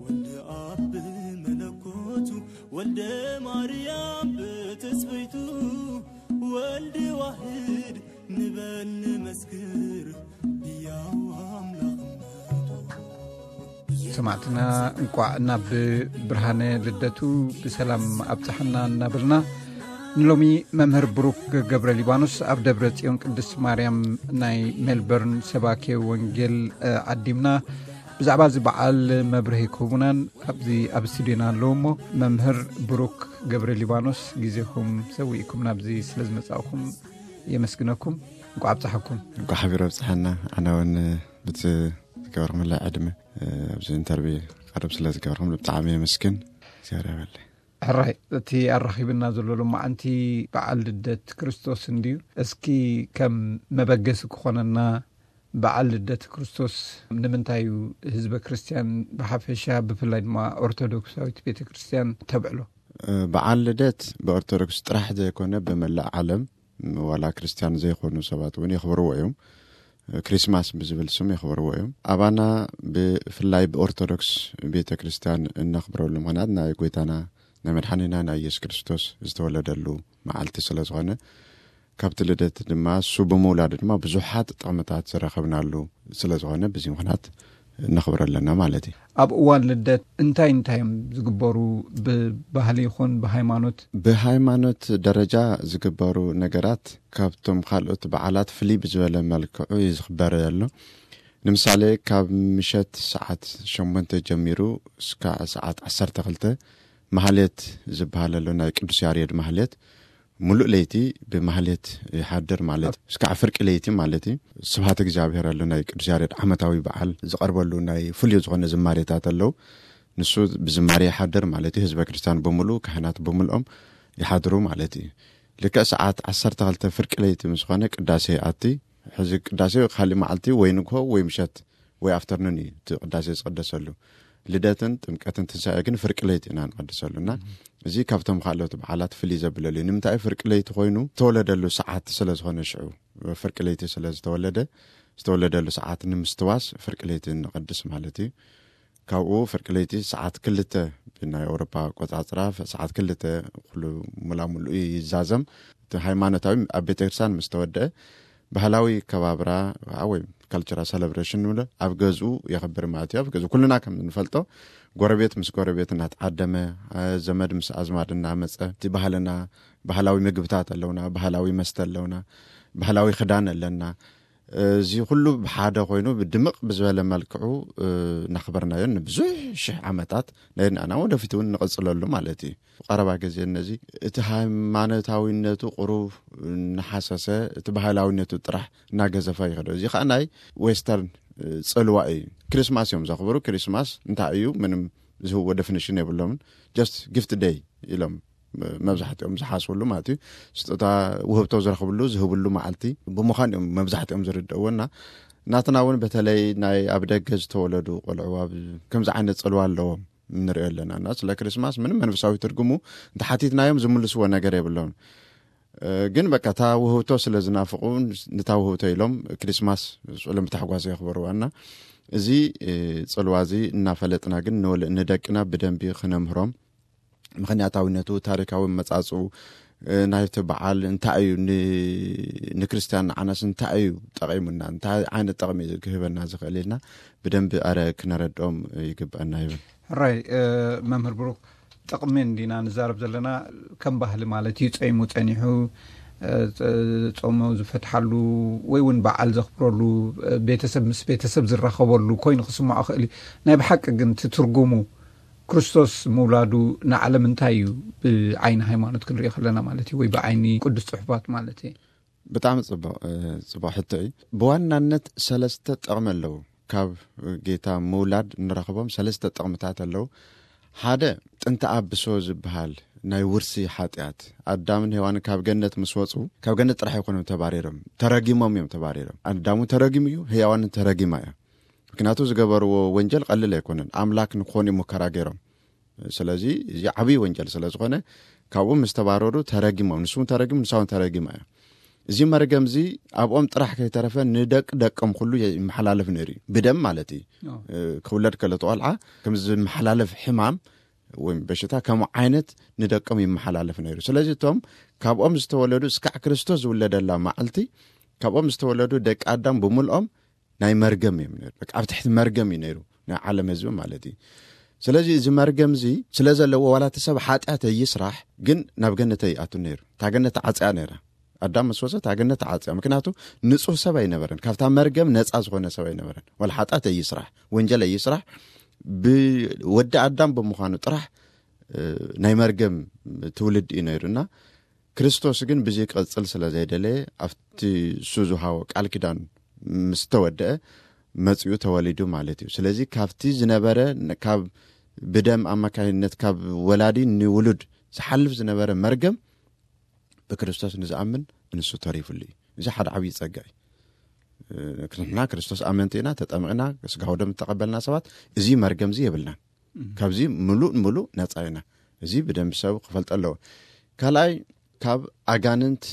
ወልድ ኣብ መለኮቱ፣ ወልደ ማርያም ብትስብእቱ፣ ወልድ ዋህድ ንበል ንመስክር ህያው ኣምላኽነቱ። ሰማዕትና፣ እንቋዕ ናብ ብርሃነ ልደቱ ብሰላም ኣብጽሓና እናበልና፣ ንሎሚ መምህር ብሩክ ገብረ ሊባኖስ ኣብ ደብረ ጽዮን ቅድስት ማርያም ናይ ሜልበርን ሰባኬ ወንጌል፣ እ፣ ዓዲምና ብዛዕባ እዚ በዓል መብርሂ ክህቡናን ኣብዚ ኣብ ስቱድዮና ኣለዉ። እሞ መምህር ብሩክ ገብረ ሊባኖስ፣ ግዜኹም ሰዊእኩም ናብዚ ስለ ዝመጻእኩም የመስግነኩም። እንኳዕ ኣብጽሓኩም። እንኳዕ ሓቢሩ ኣብጽሓና። ኣነ እውን ብቲ ዝገበርኩምለይ ዕድመ፣ እ፣ ኣብዚ ኢንተርቪው ቀርብ ስለ ዝገበርኩም ብጣዕሚ የመስግን። እግዚኣብሔር ያበለ። ሕራይ፣ እቲ ኣራኺብና ዘሎ ሎማዓንቲ በዓል ልደት ክርስቶስ እንድዩ። እስኪ ከም መበገሲ ክኾነና፣ በዓል ልደት ክርስቶስ ንምንታይ እዩ ህዝበ ክርስቲያን ብሓፈሻ፣ ብፍላይ ድማ ኦርቶዶክሳዊት ቤተ ክርስቲያን ተብዕሎ? እ፣ በዓል ልደት ብኦርቶዶክስ ጥራሕ ዘይኮነ ብመላእ ዓለም፣ ዋላ ክርስቲያን ዘይኮኑ ሰባት እውን የኽብርዎ እዮም። ክሪስማስ ብዝብል ስም የኽብርዎ እዮም። ኣባና ብፍላይ ብኦርቶዶክስ ቤተ ክርስቲያን እነኽብረሉ ምኽንያት ናይ ጎይታና ናይ መድሓኒና ናይ ኢየሱስ ክርስቶስ ዝተወለደሉ መዓልቲ ስለ ዝኾነ፣ ካብቲ ልደት ድማ እሱ ብምውላዱ ድማ ብዙሓት ጥቕምታት ዝረኸብናሉ ስለ ዝኾነ፣ በዚ ምኽንያት ነኽብሮ ኣለና ማለት እዩ። ኣብ እዋን ልደት እንታይ እንታይ እዮም ዝግበሩ፣ ብባህሊ ይኹን ብሃይማኖት? ብሃይማኖት ደረጃ ዝግበሩ ነገራት ካብቶም ካልኦት በዓላት ፍልይ ብዝበለ መልክዑ እዩ ዝኽበር ዘሎ። ንምሳሌ፣ ካብ ምሸት ሰዓት ሸሞንተ ጀሚሩ እስካዕ ሰዓት ዓሰርተ ክልተ ማህሌት ዝበሃል ኣሎ፣ ናይ ቅዱስ ያሬድ ማህሌት። ሙሉእ ለይቲ ብማህሌት ይሓድር ማለት እስካዕ ፍርቂ ለይቲ ማለት እዩ። ስብሐት እግዚኣብሔር ኣሎ፣ ናይ ቅዱስ ያሬድ ዓመታዊ በዓል ዝቐርበሉ ናይ ፍሉይ ዝኾነ ዝማሬታት ኣለዉ። ንሱ ብዝማሬ ይሓድር ማለት እዩ። ህዝበ ክርስቲያን ብምሉኡ፣ ካህናት ብምልኦም ይሓድሩ ማለት እዩ። ልክዕ ሰዓት ዓሰርተ ክልተ ፍርቂ ለይቲ ምስ ኾነ ቅዳሴ ይኣቲ። ሕዚ ቅዳሴ ካልእ መዓልቲ ወይ ንግሆ ወይ ምሸት ወይ ኣፍተርኑን እዩ እቲ ቅዳሴ ዝቕደሰሉ። ልደትን ጥምቀትን ትንሳኤ ግን ፍርቂ ለይቲ ኢና ንቐድሰሉ። እና እዚ ካብቶም ካልኦት በዓላት ፍልይ ዘብለሉ እዩ። ንምንታይ? ፍርቂ ለይቲ ኮይኑ ዝተወለደሉ ሰዓት ስለ ዝኾነ፣ ሽዑ ፍርቂ ለይቲ ስለ ዝተወለደ፣ ዝተወለደሉ ሰዓት ንምስትዋስ ፍርቂ ለይቲ ንቐድስ ማለት እዩ። ካብኡ ፍርቂ ለይቲ ሰዓት ክልተ ብናይ ኣውሮፓ ኣቆጻጽራ፣ ሰዓት ክልተ ኩሉ ሙላሙሉ ይዛዘም። እቲ ሃይማኖታዊ ኣብ ቤተክርስትያን ምስ ተወደአ፣ ባህላዊ ከባብራ ወይ ካልቸራል ሰለብሬሽን ንብሎ ኣብ ገዝኡ የኽብር ማለት እዩ። ኣብ ገዝኡ ኩልና ከም እንፈልጦ፣ ጎረቤት ምስ ጎረቤት እናተዓደመ፣ አ፣ ዘመድ ምስ ኣዝማድ እናመጸ፣ እቲ ባህልና፣ ባህላዊ ምግብታት ኣለውና፣ ባህላዊ መስተ ኣለውና፣ ባህላዊ ክዳን ኣለና። እዚ ኩሉ ብሓደ ኮይኑ ብድምቕ ብዝበለ መልክዑ፣ እ፣ እናኽበርናዮ ንብዙሕ ሽሕ ዓመታት ናይ ንኣና ወደፊት እውን ንቕጽለሉ ማለት እዩ። ቀረባ ግዜ ነዚ እቲ ሃይማኖታዊነቱ ቁሩብ እናሓሰሰ፣ እቲ ባህላዊነቱ ጥራሕ እናገዘፈ ይኸዶ። እዚ ኸዓ ናይ ዌስተርን፣ እ፣ ጽልዋ እዩ። ክሪስማስ እዮም ዘኽብሩ። ክሪስማስ እንታይ እዩ? ምንም ዝህብዎ ዴፊኒሽን የብሎምን። ጀስት ጊፍት ደይ ኢሎም መብዛሕትኦም ዝሓስብሉ ማለት እዩ። ስጦታ ውህብቶ ዝረኽብሉ፣ ዝህብሉ መዓልቲ ብምዃን እዮም መብዛሕትኦም ዝርድእዎ። እና ናትና እውን በተለይ ናይ ኣብ ደገ ዝተወለዱ ቆልዑ ኣብ ከምዚ ዓይነት ጽልዋ ኣለዎም ንሪኦ ኣለና። እና ስለ ክሪስማስ ምንም መንፈሳዊ ትርጉሙ እንተሓቲትናዮም ዝምልስዎ ነገር የብሎም። እ፣ ግን በቃ እታ ውህብቶ ስለ ዝናፍቑ፣ ንታ ውህብቶ ኢሎም ክሪስማስ ስዑሎም ብታሕጓስ የኽብርዋ። እና እዚ፣ እ፣ ጽልዋ እዚ እናፈለጥና ግን ንወለ-፣ ንደቅና ብደንቢ ክነምህሮም፣ ምኽንያታዊነቱ፣ ታሪካዊ መጻጽኡ፣ እ፣ ናይቲ በዓል እንታይ እዩ፣ ን-፣ ንክርስትያን ንዓናስ እንታይ እዩ ጠቒሙና፣ እንታይ ዓይነት ጠቕሚ እዩ ክህበና ዝኽእል ኢልና ብደንቢ ኣረ ክነረድኦም ይግብአና ይብል። ሕራይ፣ እ፣ መምህር ብሩክ፣ ጥቕሚ እንዲና ንዛረብ ዘለና፣ ከም ባህሊ ማለት እዩ። ጸይሙ ጸኒሑ፣ እ፣ ጸ-፣ ጾሙ ዝፈትሓሉ ወይ እውን በዓል ዘኽብረሉ፣ እ፣ ቤተሰብ ምስ ቤተሰብ ዝራኸበሉ ኮይኑ ክስምዖ ክእል እዩ። ናይ ብሓቂ ግን እቲ ትርጉሙ፣ ክርስቶስ ምውላዱ ንዓለም እንታይ እዩ ብዓይኒ ሃይማኖት ክንሪኦ ከለና ማለት እዩ፣ ወይ ብዓይኒ ቅዱስ ጽሑፋት ማለት እዩ? ብጣዕሚ ጽቡቕ፣ እ፣ ጽቡቕ ሕቶ እዩ። ብዋናነት ሰለስተ ጥቕሚ ኣለዉ። ካብ ጌታ ምውላድ እንረኽቦም ሰለስተ ጥቕምታት ኣለዉ። ሓደ፣ ጥንተ ኣብሶ ዝበሃል ናይ ውርሲ ሓጢኣት፣ ኣዳምን ሄዋንን ካብ ገነት ምስ ወጹ፣ ካብ ገነት ጥራሕ ኣይኮኑን ተባሪሮም፣ ተረጊሞም እዮም ተባሪሮም። ኣዳም እውን ተረጊሙ እዩ፣ ሄዋን እውን ተረጊማ እያ። ምክንያቱ ዝገበርዎ ወንጀል ቀልል ኣይኮነን። ኣምላክ ንክኾኑ እዮም ሙከራ ገይሮም። ስለዚ እዚ ዓብዪ ወንጀል ስለ ዝኾነ፣ ካብኡ ምስ ተባረሩ ተረጊሞም፣ ንሱ እውን ተረጊሙ፣ ንሳ እውን ተረጊማ እያ። እዚ መርገም እዚ ኣብኦም ጥራሕ ከይተረፈ ንደቂ ደቆም ኩሉ ይመሓላለፍ ነይሩ እዩ። ብደም ማለት እዩ። ክውለድ ከሎ እቲ ቆልዓ ከም ዝመሓላለፍ ሕማም ወይም በሽታ ከምኡ ዓይነት ንደቆም ይመሓላለፍ ነይሩ። ስለዚ እቶም ካብኦም ዝተወለዱ እስካዕ ክርስቶስ ዝውለደላ መዓልቲ ካብኦም ዝተወለዱ ደቂ ኣዳም ብምልኦም ናይ መርገም እዮም ነይሩ። በቃ ኣብ ትሕቲ መርገም እዩ ነይሩ ናይ ዓለም ህዝቢ ማለት እዩ። ስለዚ እዚ መርገም እዚ ስለ ዘለዎ ዋላ እቲ ሰብ ሓጢኣት ይስራሕ ግን ናብ ገነት ኣይኣቱን ነይሩ። እታ ገነት ተዓፅያ ነይራ። ኣዳም ምስ ወፀ እታ ገነት ተዓፅያ። ምክንያቱ ንፁህ ሰብ ኣይነበረን። ካብታ መርገም ነፃ ዝኾነ ሰብ ኣይነበረን። ዋላ ሓጢኣት ኣይስራሕ፣ ወንጀል ኣይስራሕ፣ ብወዲ ኣዳም ብምዃኑ ጥራሕ ናይ መርገም ትውልድ እዩ ነይሩ እና ክርስቶስ ግን ብዚ ክቕፅል ስለ ዘይደለየ ኣብቲ እሱ ዝሃቦ ቃል ኪዳን ምስ ተወደአ መፂኡ ተወሊዱ ማለት እዩ። ስለዚ ካብቲ ዝነበረ ካብ ብደም ኣማካይነት ካብ ወላዲ ንውሉድ ዝሓልፍ ዝነበረ መርገም ብክርስቶስ ንዝኣምን ንሱ ተሪፉሉ እዩ። እዚ ሓደ ዓብዪ ፀጋ እዩ። ንሕና ክርስቶስ ኣመንቲ ኢና፣ ተጠምቕና፣ ስጋ ወደም ዝተቐበልና ሰባት እዚ መርገም እዚ የብልናን። ካብዚ ምሉእ ምሉእ ነፃ ኢና። እዚ ብደንብ ሰብ ክፈልጦ ኣለዎ። ካልኣይ ካብ ኣጋንንት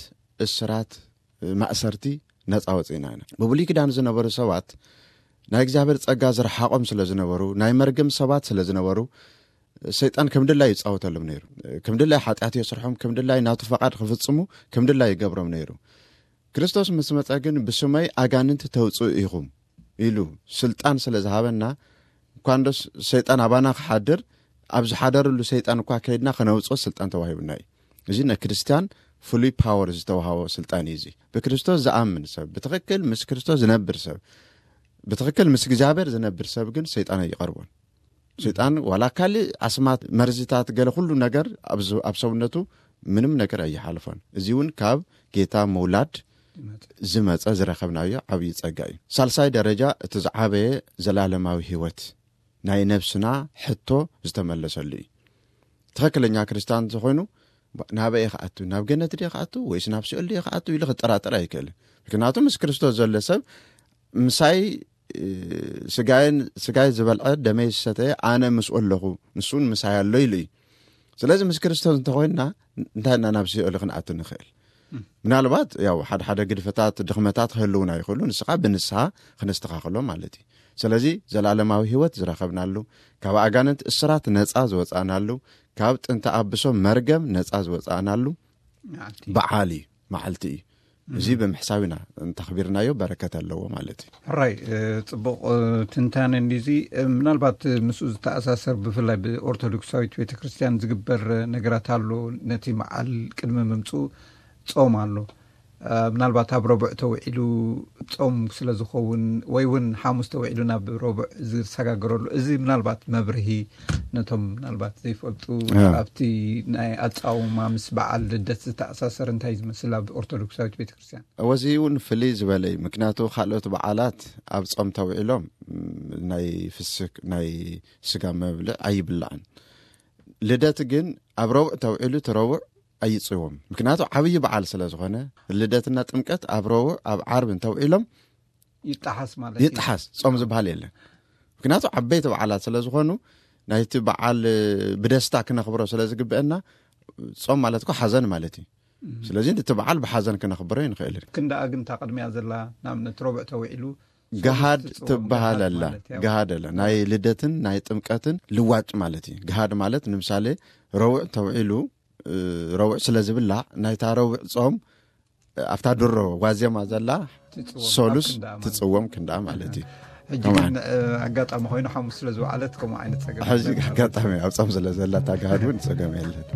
እስራት ማእሰርቲ ነፃ ወፂእና ኢና። ብብሉይ ኪዳን ዝነበሩ ሰባት ናይ እግዚኣብሔር ፀጋ ዝረሓቖም ስለ ዝነበሩ ናይ መርገም ሰባት ስለ ዝነበሩ ሰይጣን ከም ድላይ ይፃወተሎም ነይሩ። ከም ድላይ ሓጢኣት የስርሖም፣ ከም ድላይ ናቱ ፈቓድ ክፍፅሙ ከም ድላይ ይገብሮም ነይሩ። ክርስቶስ ምስ መፀ ግን ብስመይ ኣጋንንት ተውፅኡ ኢኹም ኢሉ ስልጣን ስለ ዝሃበና እኳ እንዶ ሰይጣን ኣባና ክሓድር ኣብ ዝሓደርሉ ሰይጣን እኳ ከይድና ከነውፅኦ ስልጣን ተዋሂቡና እዩ። እዚ ንክርስትያን ፍሉይ ፓወር ዝተዋሃቦ ስልጣን እዩ። እዚ ብክርስቶስ ዝኣምን ሰብ ብትኽክል ምስ ክርስቶስ ዝነብር ሰብ ብትኽክል ምስ እግዚኣብሔር ዝነብር ሰብ ግን ሰይጣን ኣይቐርቦን። ሰይጣን ዋላ ካልእ ኣስማት መርዝታት ገለ ኩሉ ነገር ኣብ ሰውነቱ ምንም ነገር ኣይሓልፎን። እዚ እውን ካብ ጌታ ምውላድ ዝመፀ ዝረኸብናዮ ዓብዪ ፀጋ እዩ። ሳልሳይ ደረጃ እቲ ዝዓበየ ዘላለማዊ ህይወት ናይ ነብስና ሕቶ ዝተመለሰሉ እዩ። ትኽክለኛ ክርስቲያን ዝኾይኑ ናበይ ክኣቱ ናብ ገነት ድየ ክኣቱ ወይስ ናብ ሲኦል ድየ ክኣቱ ኢሉ ክጠራጠር ኣይክእልን። ምክንያቱ ምስ ክርስቶስ ዘሎ ሰብ ምሳይ ስጋይ ዝበልዐ ደመይ ዝሰተየ ኣነ ምስኡ ኣለኹ ንሱን ምሳይ ኣሎ ኢሉ እዩ። ስለዚ ምስ ክርስቶስ እንተኾይንና እንታይ ኢና ናብ ሲኦል ክንኣቱ ንኽእል? ምናልባት ያው ሓደ ሓደ ግድፈታት ድኽመታት ክህልውና ይኽእሉ፣ ንስኻ ብንስሓ ክነስተኻኽሎ ማለት እዩ። ስለዚ ዘላለማዊ ህይወት ዝረኸብናሉ፣ ካብ ኣጋንንት እስራት ነፃ ዝወፃእናሉ፣ ካብ ጥንቲ ኣብሶ መርገም ነፃ ዝወፃእናሉ በዓል እዩ፣ መዓልቲ እዩ። እዚ ብምሕሳብ ኢና እንተኽቢርናዮ በረከት ኣለዎ ማለት እዩ። ሕራይ፣ ጽቡቕ ትንታነ እንዲዚ። ምናልባት ምስኡ ዝተኣሳሰር ብፍላይ ብኦርቶዶክሳዊት ቤተክርስትያን ዝግበር ነገራት ኣሎ። ነቲ መዓል ቅድሚ ምምፅኡ ጾም ኣሎ። ምናልባት ኣብ ረቡዕ ተውዒሉ ጾም ስለ ዝኸውን ወይ እውን ሓሙስ ተውዒሉ ናብ ረቡዕ ዝሰጋገረሉ፣ እዚ ምናልባት መብርሂ ነቶም ምናልባት ዘይፈልጡ ኣብቲ ናይ ኣጻውማ ምስ በዓል ልደት ዝተኣሳሰር እንታይ ዝመስል ኣብ ኦርቶዶክሳዊት ቤተክርስትያን? እወ፣ እዚ እውን ፍልይ ዝበለ እዩ። ምክንያቱ ካልኦት በዓላት ኣብ ጾም ተውዒሎም ናይ ፍስክ ናይ ስጋ መብልዕ ኣይብላዕን። ልደት ግን ኣብ ረቡዕ ተውዒሉ እቲ ረቡዕ ኣይጽዎም። ምክንያቱ ዓብዪ በዓል ስለ ዝኾነ ልደትና ጥምቀት ኣብ ረቡዕ ኣብ ዓርቢ እንተውዒሎም ይጠሓስ ማለት እዩ። ይጠሓስ፣ ጾም ዝበሃል የለን። ምክንያቱ ዓበይቲ በዓላት ስለ ዝኾኑ ናይቲ በዓል ብደስታ ክነኽብሮ ስለ ዝግበአና ጾም ማለት እኮ ሓዘን ማለት እዩ። ስለዚ እቲ በዓል ብሓዘን ክነኽብሮ ይንኽእል። ክንደኣ ግን እታ ቅድሚያ ዘላ ንኣብነት ረቡዕ ተውዒሉ ገሃድ ትበሃል ኣላ። ገሃድ ኣላ። ናይ ልደትን ናይ ጥምቀትን ልዋጭ ማለት እዩ። ገሃድ ማለት ንምሳሌ ረቡዕ ተውዒሉ ረቡዕ ስለ ዝብላዕ ናይታ ረቡዕ ጾም ኣብታ ድሮ ዋዜማ ዘላ ሰሉስ ትጽወም ክንዳ ማለት እዩ። ሕጂ ግን ኣጋጣሚ ኮይኑ ሓሙስ ስለ ዝወዓለት ከምኡ ዓይነት ጸገም ሕዚ ኣጋጣሚ ኣብ ጾም ስለ ዘላ እታ ገሃድ እውን ጸገም የለን።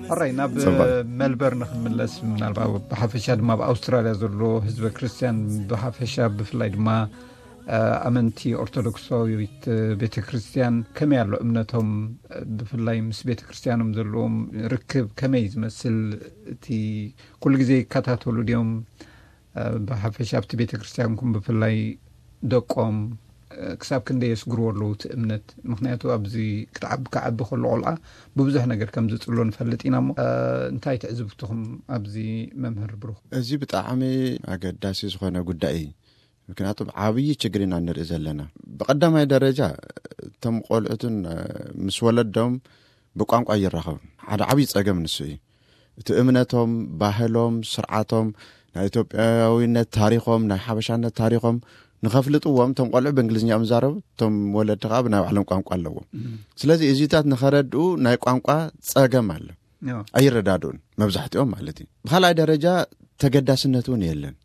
ሕራይ ናብ መልበርን ክንምለስ፣ ምናልባት ብሓፈሻ ድማ ኣብ ኣውስትራልያ ዘሎ ህዝበ ክርስትያን ብሓፈሻ ብፍላይ ድማ ኣመንቲ ኦርቶዶክሳዊት ቤተ ክርስትያን ከመይ ኣሎ እምነቶም? ብፍላይ ምስ ቤተ ክርስትያኖም ዘለዎም ርክብ ከመይ ዝመስል? እቲ ኩሉ ግዜ ይከታተሉ ድዮም? ብሓፈሻ ኣብቲ ቤተ ክርስትያንኩም ብፍላይ ደቆም ክሳብ ክንደይ የስግርዎ ኣለዉ እቲ እምነት? ምክንያቱ ኣብዚ ክትዓቢ ክዓቢ ከሎ ቆልዓ ብብዙሕ ነገር ከም ዝፅሎ ንፈልጥ ኢና እሞ እንታይ ትዕዝብትኹም ኣብዚ? መምህር ብሩኽ፣ እዚ ብጣዕሚ ኣገዳሲ ዝኾነ ጉዳይ እዩ። ምክንያቱ ዓብዪ ችግር ኢና ንርኢ ዘለና። ብቐዳማይ ደረጃ እቶም ቆልዑትን ምስ ወለዶም ብቋንቋ ይራኸቡ። ሓደ ዓብዪ ጸገም ንሱ እዩ። እቲ እምነቶም፣ ባህሎም፣ ስርዓቶም፣ ናይ ኢትዮጵያዊነት ታሪኾም፣ ናይ ሓበሻነት ታሪኾም ንኸፍልጥዎም እቶም ቆልዑ ብእንግሊዝኛ እዮም ዝዛረቡ፣ እቶም ወለዲ ከዓ ብናይ ባዕሎም ቋንቋ ኣለዎም። ስለዚ እዚታት ንኸረድኡ ናይ ቋንቋ ጸገም ኣሎ። ኣይረዳድኡን መብዛሕትኦም ማለት እዩ። ብኻልኣይ ደረጃ ተገዳስነት እውን የለን።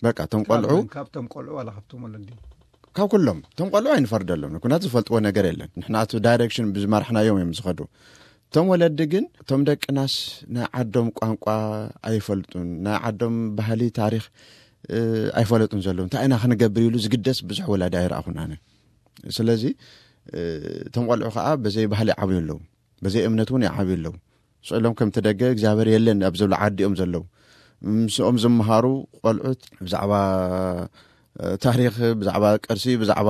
በቃ እቶም ቆልዑ ካብቶም ቆልዑ ዋላ ካብቶም ወለዲ ካብ ኩሎም እቶም ቆልዑ ኣይንፈርደሎም። ኩናት ዝፈልጥዎ ነገር የለን። ንሕና እቲ ዳይሬክሽን ብዝመራሕናዮም እዮም ዝኸዱ። እቶም ወለዲ ግን እቶም ደቅናስ ናይ ዓዶም ቋንቋ ኣይፈልጡን፣ ናይ ዓዶም ባህሊ ታሪኽ ኣይፈለጡን ዘለዉ፣ እንታይ ኢና ክንገብር ኢሉ ዝግደስ ብዙሕ ወላዲ ኣይረኣኹን ኣነ። ስለዚ እቶም ቆልዑ ከዓ በዘይ ባህሊ ይዓብዩ ኣለዉ፣ በዘይ እምነት እውን ይዓብዩ ኣለዉ። ስዕሎም ከምቲ ደገ እግዚኣብሔር የለን ኣብ ዝብሉ ዓዲ እዮም ዘለዉ። ምስኦም ዝመሃሩ ቆልዑት ብዛዕባ ታሪኽ፣ ብዛዕባ ቅርሲ፣ ብዛዕባ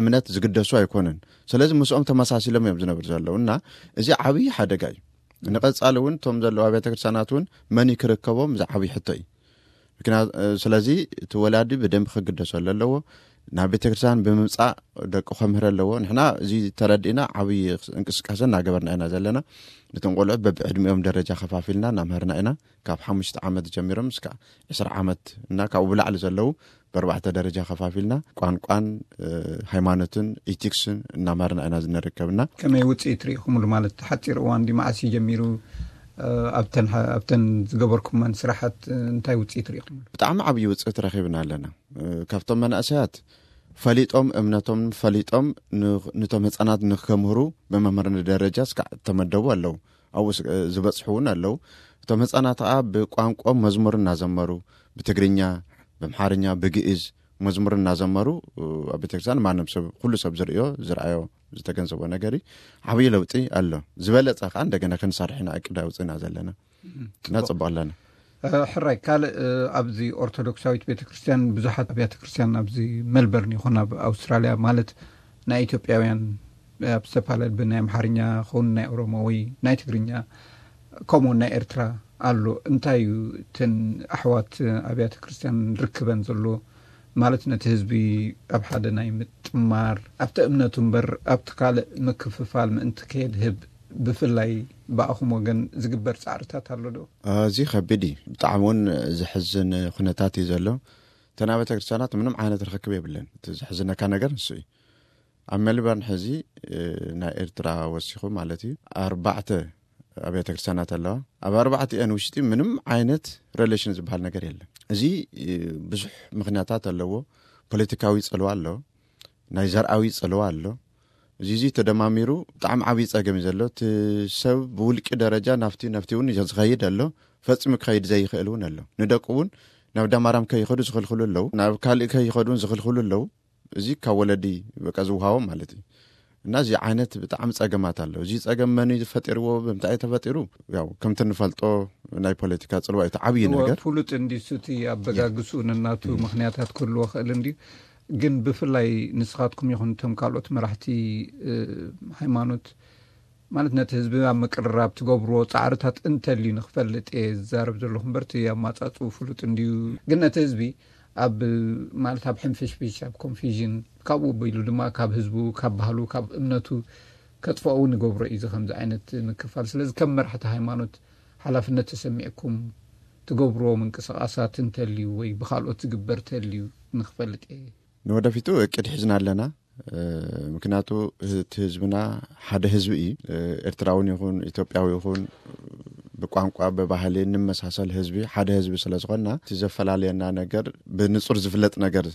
እምነት ዝግደሱ ኣይኮኑን። ስለዚ ምስኦም ተመሳሲሎም እዮም ዝነብሩ ዘለዉ እና እዚ ዓብዪ ሓደጋ እዩ። ንቐጻሊ እውን እቶም ዘለዉ ኣብያተ ክርስቲያናት እውን መን ክርከቦም እዚ ዓብዪ ሕቶ እዩ። ምክንያቱ ስለዚ እቲ ወላዲ ብደንብ ክግደሰሉ ኣለዎ። ናብ ቤተ ክርስቲያን ብምምጻእ ደቁ ከምህር ኣለዎ። ንሕና እዚ ተረዲእና ዓብዪ እንቅስቃሴ እናገበርና ኢና ዘለና። ነቶም ቆልዑት በብዕድሚኦም ደረጃ ከፋፊልና እናምህርና ኢና። ካብ ሓሙሽተ ዓመት ጀሚሮም እስካ ዕስራ ዓመት እና ካብኡ ብላዕሊ ዘለዉ በርባዕተ ደረጃ ከፋፊልና ቋንቋን ሃይማኖትን ኢቲክስን እናማርና ኢና ዝንርከብና። ከመይ ውፅኢት ርኢኹምሉ? ማለት ሓፂር እዋን ዲ መዓስ እዩ ጀሚሩ? ኣብተን ዝገበርኩመን ስራሓት እንታይ ውፅኢት ርኢኹምሉ? ብጣዕሚ ዓብዪ ውፅኢት ረኺብና ኣለና። ካብቶም መናእሰያት ፈሊጦም እምነቶም ፈሊጦም ንቶም ህፃናት ንከምህሩ ብመምህርነት ደረጃ እስካዕ ተመደቡ ኣለዉ። ኣብኡ ዝበፅሑ እውን ኣለዉ። እቶም ህፃናት ከዓ ብቋንቋ መዝሙር እናዘመሩ ብትግርኛ፣ ብምሓርኛ፣ ብግእዝ መዝሙር እናዘመሩ ኣብ ቤተክርስትያን ማንም ሰብ ኩሉ ሰብ ዝርእዮ ዝረኣዮ ዝተገንዘቦ ነገር እዩ። ዓብዪ ለውጢ ኣሎ። ዝበለፀ ከዓ እንደገና ክንሰርሕ ኢና እቅድ ኣውፅእና ዘለና እና ፅቡቅ ኣለና። ሕራይ ካልእ ኣብዚ ኦርቶዶክሳዊት ቤተክርስትያን ብዙሓት ኣብያተ ክርስትያን ኣብዚ መልበርን ይኹን ኣብ ኣውስትራልያ ማለት ናይ ኢትዮጵያውያን ኣብ ዝተፈላለየ ናይ ኣምሓርኛ ኸውን ናይ ኦሮሞ ወይ ናይ ትግርኛ ከምኡ ናይ ኤርትራ ኣሎ። እንታይ እዩ እተን ኣሕዋት ኣብያተ ክርስትያን ርክበን ዘሎ ማለት ነቲ ህዝቢ ኣብ ሓደ ናይ ምጥማር ኣብቲ እምነቱ እምበር ኣብቲ ካልእ ምክፍፋል ምእንቲ ከየድህብ ብፍላይ ብኣኹም ወገን ዝግበር ፃዕርታት ኣሎ ዶ? እዚ ከቢድ እዩ። ብጣዕሚ እውን ዝሕዝን ኩነታት እዩ ዘሎ። እተን ኣብያተ ክርስትያናት ምንም ዓይነት ርክክብ የብለን። እቲ ዝሕዝነካ ነገር ንሱ እዩ። ኣብ ሜልበርን ሕዚ ናይ ኤርትራ ወሲኹ ማለት እዩ ኣርባዕተ ኣብያተ ክርስትያናት ኣለዋ። ኣብ ኣርባዕቲአን ውሽጢ ምንም ዓይነት ሬሌሽን ዝበሃል ነገር የለን። እዚ ብዙሕ ምክንያታት ኣለዎ። ፖለቲካዊ ፅልዋ ኣሎ፣ ናይ ዘርኣዊ ፅልዋ ኣሎ። እዚ እዚ ተደማሚሩ ብጣዕሚ ዓብዪ ፀገም እዩ ዘሎ። እቲ ሰብ ብውልቂ ደረጃ ናፍቲ ናፍቲ እውን ዝኸይድ ኣሎ፣ ፈፂሙ ክኸይድ ዘይኽእል እውን ኣሎ። ንደቁ እውን ናብ ዳማራም ከይኸዱ ዝኽልክሉ ኣለዉ፣ ናብ ካልእ ከይኸዱ እውን ዝኽልክሉ ኣለዉ። እዚ ካብ ወለዲ በቃ ዝውሃቦም ማለት እዩ። እና እዚ ዓይነት ብጣዕሚ ፀገማት ኣሎ። እዚ ፀገም መን እዩ ፈጢርዎ? ብምንታይ እዩ ተፈጢሩ? ያው ከምቲ ንፈልጦ ናይ ፖለቲካ ፅልዋ እዩ እቲ ዓብዪ ነገር። ፍሉጥ እንዲ ሱቲ ኣበጋግስኡ ነናቱ ምክንያታት ክህልዎ ክእል እንዲ ግን ብፍላይ ንስኻትኩም ይኹን እቶም ካልኦት መራሕቲ ሃይማኖት ማለት ነቲ ህዝቢ ኣብ ምቅርራብ ትገብርዎ ፃዕርታት እንተልዩ ንክፈልጥ እየ ዝዛረብ ዘለኹ እምበር እቲ ኣማፃፅኡ ፍሉጥ እንድዩ። ግን ነቲ ህዝቢ ኣብ ማለት ኣብ ሕንፍሽፍሽ ኣብ ኮንፊዥን ካብኡ ኣቢሉ ድማ ካብ ህዝቡ ካብ ባህሉ ካብ እምነቱ ከጥፍኦ እውን ይገብሮ እዩ እዚ ከምዚ ዓይነት ምክፋል። ስለዚ ከም መራሕቲ ሃይማኖት ሓላፍነት ተሰሚዕኩም ትገብርዎ ምንቅስቃሳት እንተልዩ ወይ ብካልኦት ዝግበር ተልዩ ንክፈልጥ እየ። ንወደፊቱ እቅድ ሒዝና ኣለና። ምክንያቱ እቲ ህዝብና ሓደ ህዝቢ እዩ። ኤርትራውን ይኹን ኢትዮጵያዊ ይኹን ብቋንቋ ብባህሊ እንመሳሰል ህዝቢ ሓደ ህዝቢ ስለዝኾንና እቲ ዘፈላለየና ነገር ብንፁር ዝፍለጥ ነገር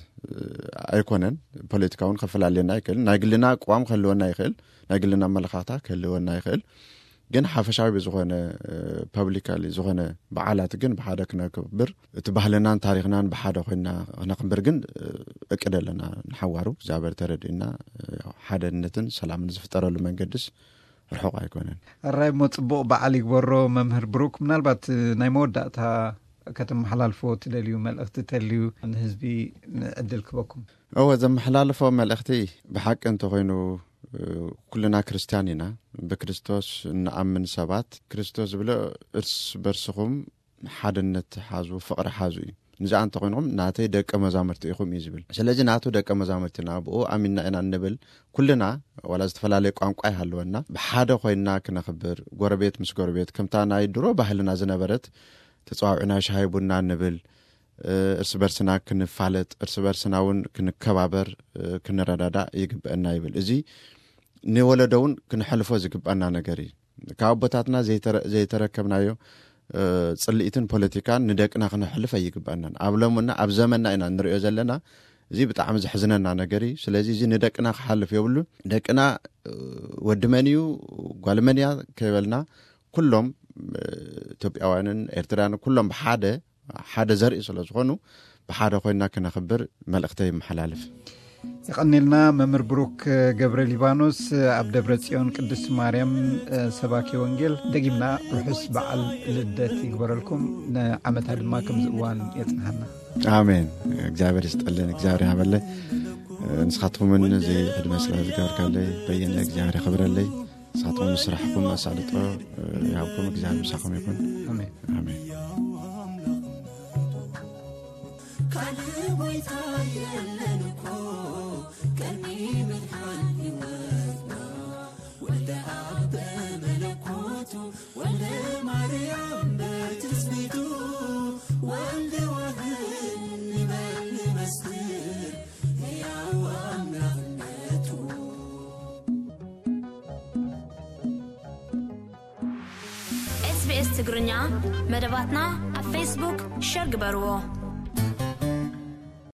ኣይኮነን። ፖለቲካ እውን ከፈላለየና ይክእል። ናይ ግልና ኣቋም ክህልወና ይክእል፣ ናይ ግልና ኣመለኻኽታ ክህልወና ይክእል። ግን ሓፈሻዊ ብዝኾነ ፐብሊካሊ ዝኾነ በዓላት ግን ብሓደ ክነክብር እቲ ባህልናን ታሪኽናን ብሓደ ኮይና ክነክብር ግን እቅድ ኣለና። ንሓዋሩ እግዚኣብሔር ተረድእና ሓደነትን ሰላምን ዝፍጠረሉ መንገድስ ርሑቕ ኣይኮነን። ኣራይ እሞ ፅቡቕ በዓል ይግበሮ መምህር ብሩክ። ምናልባት ናይ መወዳእታ ከተመሓላልፎ ትደልዩ መልእኽቲ ተልዩ ንህዝቢ ዕድል ክበኩም? እወ፣ ዘመሓላልፎ መልእኽቲ ብሓቂ እንተኾይኑ፣ ኩልና ክርስትያን ኢና። ብክርስቶስ እንኣምን ሰባት፣ ክርስቶስ ዝብሎ፣ እርስ በርስኹም ሓድነት ሓዙ፣ ፍቕሪ ሓዙ እዩ። ንዚኣ እንተኾይንኹም ናተይ ደቀ መዛሙርቲ ኢኹም እዩ ዝብል። ስለዚ ናቱ ደቀ መዛሙርትና፣ ብኡ ኣሚንና ኢና እንብል ኩልና፣ ዋላ ዝተፈላለየ ቋንቋ ይሃልወና፣ ብሓደ ኮይንና ክነኽብር፣ ጎረቤት ምስ ጎረቤት፣ ከምታ ናይ ድሮ ባህልና ዝነበረት፣ ተጸዋዊዕና ሻሂ ቡና ንብል፣ እርስ በርስና ክንፋለጥ፣ እርስ በርስና እውን ክንከባበር፣ ክንረዳዳእ ይግበአና ይብል። እዚ ንወለዶ እውን ክንሕልፎ ዝግባና ነገር እዩ። ካብ ኣቦታትና ዘይተረ-፣ ዘይተረከብናዮ፣ ጽልኢትን ፖለቲካን ንደቅና ክነሕልፍ ኣይግባናን። ኣብ ሎምና፣ ኣብ ዘመንና ኢና ንሪኦ ዘለና። እዚ ብጣዕሚ ዘሕዝነና ነገር እዩ። ስለዚ እዚ ንደቅና ክሓልፍ የብሉን። ደቅና፣ ወዲ መን እዩ፣ ጓል መን እያ ከይበልና፣ ኩሎም፣ ኢትዮጵያውያንን ኤርትራውያንን ኩሎም ብሓደ፣ ሓደ ዘርኢ ስለ ዝኾኑ፣ ብሓደ ኮይና ክነኽብር መልእኽተይ ይመሓላልፍ። የቐኒልና መምህር ብሩክ ገብረ ሊባኖስ፣ ኣብ ደብረ ጽዮን ቅድስት ማርያም ሰባኪ ወንጌል። ደጊምና ርሑስ በዓል ልደት ይግበረልኩም፣ ንዓመታ ድማ ከምዚ እዋን የጽንሓና። ኣሜን። እግዚኣብሔር ይስጠልን፣ እግዚኣብሔር ይሃበለይ። ንስኻትኩምን እዚ ዕድመ ስለ ዝገበርካለይ በየነ እግዚኣብሔር የኽብረለይ። ንስኻትኩም ንስራሕኩም ኣሳልጦ ይሃብኩም፣ እግዚኣብሔር ምሳኹም ይኹን። ኣሜን። ኣሜን። ካልእ ጎይታ የለን እኮ፣ ቀኒ ምድሓን ህይወትና፣ ወልደ ኣብ በመለኮቱ፣ ወልደ ማርያም በትስብእቱ፣ ወልደ ዋህድ ንበል ንመስክር፣ ሕያው ኣምላኽነቱ። ኤስቢኤስ ትግርኛ መደባትና ኣብ ፌስቡክ ሸር ግበርዎ።